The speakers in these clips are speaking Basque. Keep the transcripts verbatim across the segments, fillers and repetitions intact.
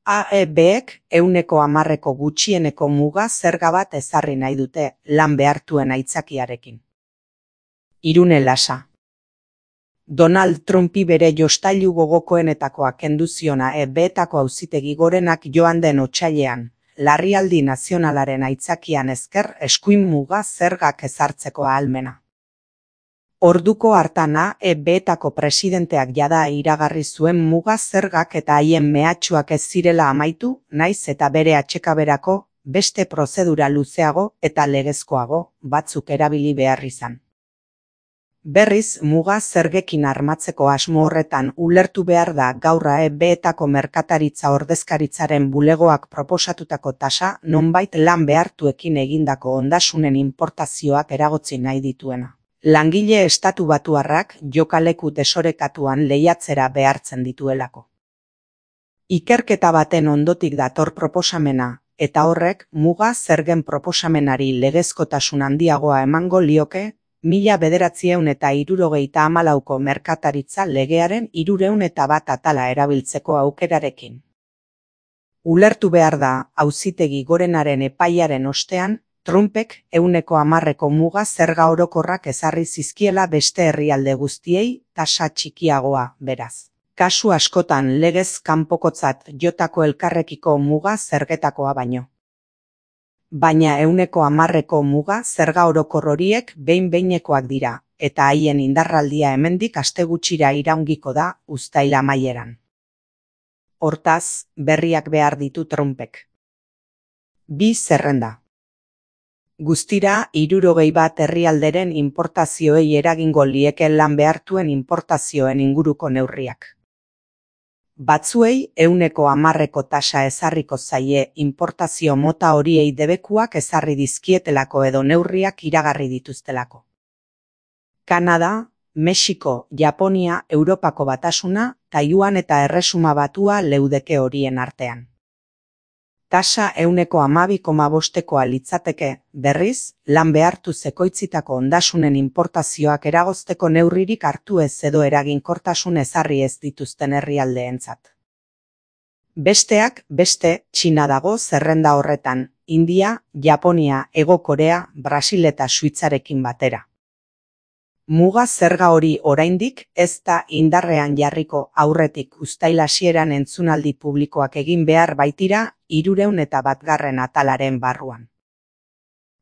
A E Bek ehuneko hamarreko gutxieneko muga zerga bat ezarri nahi dute lan behartuen aitzakiarekin. Irune Lasa. Donald Trumpi bere jostailu gogokoenetakoa kendu ziona E Betako auzitegi gorenak joan den otsailean, larrialdi nazionalaren aitzakian esker eskuin muga zergak ezartzeko ahalmena. Orduko hartana E Betako presidenteak jada iragarri zuen muga zergak eta haien mehatxuak ez zirela amaitu, naiz eta bere atsekaberako beste prozedura luzeago eta legezkoago batzuk erabili behar izan. Berriz, muga zergekin armatzeko asmo horretan ulertu behar da gaur E Betako merkataritza ordezkaritzaren bulegoak proposatutako tasa nonbait lan behartuekin egindako ondasunen inportazioak eragotzi nahi dituena. Langile estatu batuarrak jokaleku desorekatuan lehiatzera behartzen dituelako. Ikerketa baten ondotik dator proposamena, eta horrek muga zergen proposamenari legezkotasun handiagoa emango lioke, mila bederatziehun eta hirurogeita hamalauko merkataritza legearen hirurehun eta bat atala erabiltzeko aukerarekin. Ulertu behar da, auzitegi gorenaren epaiaren ostean, Trumpek ehuneko hamarreko muga zerga orokorrak ezarri zizkiela beste herrialde guztiei tasa txikiagoa, beraz. Kasu askotan legez kanpokotzat jotako elkarrekiko muga zergetakoa baino. Baina ehuneko hamarreko muga zerga orokor horiek behin-behinekoak dira, eta haien indarraldia hemendik aste gutxira iraungiko da uztail amaieran. Hortaz, berriak behar ditu Trumpek. Bi zerrenda. Guztira, hirurogei bat herrialderen inportazioei eragingo lieke lan behartuen inportazioen inguruko neurriak. Batzuei ehuneko hamarreko tasa ezarriko zaie inportazio mota horiei debekuak ezarri dizkietelako edo neurriak iragarri dituztelako. Kanada, Mexiko, Japonia, Europako Batasuna, Taiwan eta Erresuma Batua leudeke horien artean. Tasa ehuneko hamabi koma bostekoa litzateke, berriz, lan behartu zekoitzitako ondasunen inportazioak eragozteko neurririk hartu ez edo eraginkortasun ezarri ez dituzten herrialdeentzat. Besteak, beste, Txina dago zerrenda horretan, India, Japonia, Hego Korea, Brasil eta Suitzarekin batera. Muga zerga hori oraindik ez da indarrean jarriko aurretik uztail hasieran entzunaldi publikoak egin behar baitira hirurehun eta batgarren atalaren barruan.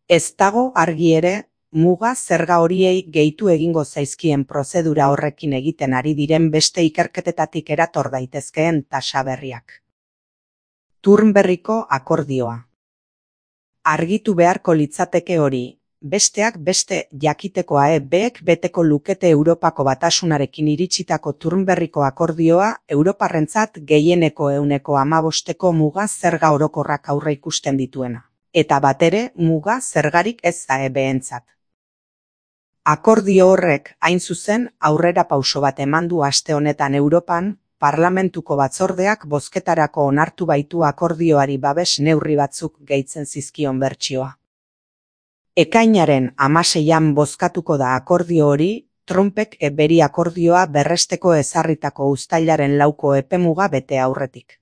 Ez dago argi ere, muga zerga horiei gehitu egingo zaizkien prozedura horrekin egiten ari diren beste ikerketetatik erator daitezkeen tasa berriak. Turnberriko akordioa. Argitu beharko litzateke hori. Besteak beste jakiteko A E Bek beteko lukete Europako Batasunarekin iritsitako Turnberriko akordioa Europarrentzat gehieneko ehuneko hamabosteko muga zerga orokorrak aurreikusten dituena. Eta batere muga zergarik ez A E Bentzat. Akordio horrek hain zuzen aurrera pauso bat eman du aste honetan Europan, Parlamentuko batzordeak bozketarako onartu baitu akordioari babes neurri batzuk gehitzen zizkion bertsioa. Ekainaren hamaseian bozkatuko da akordio hori, Trumpek beri akordioa berresteko ezarritako uztailaren lauko epemuga bete aurretik.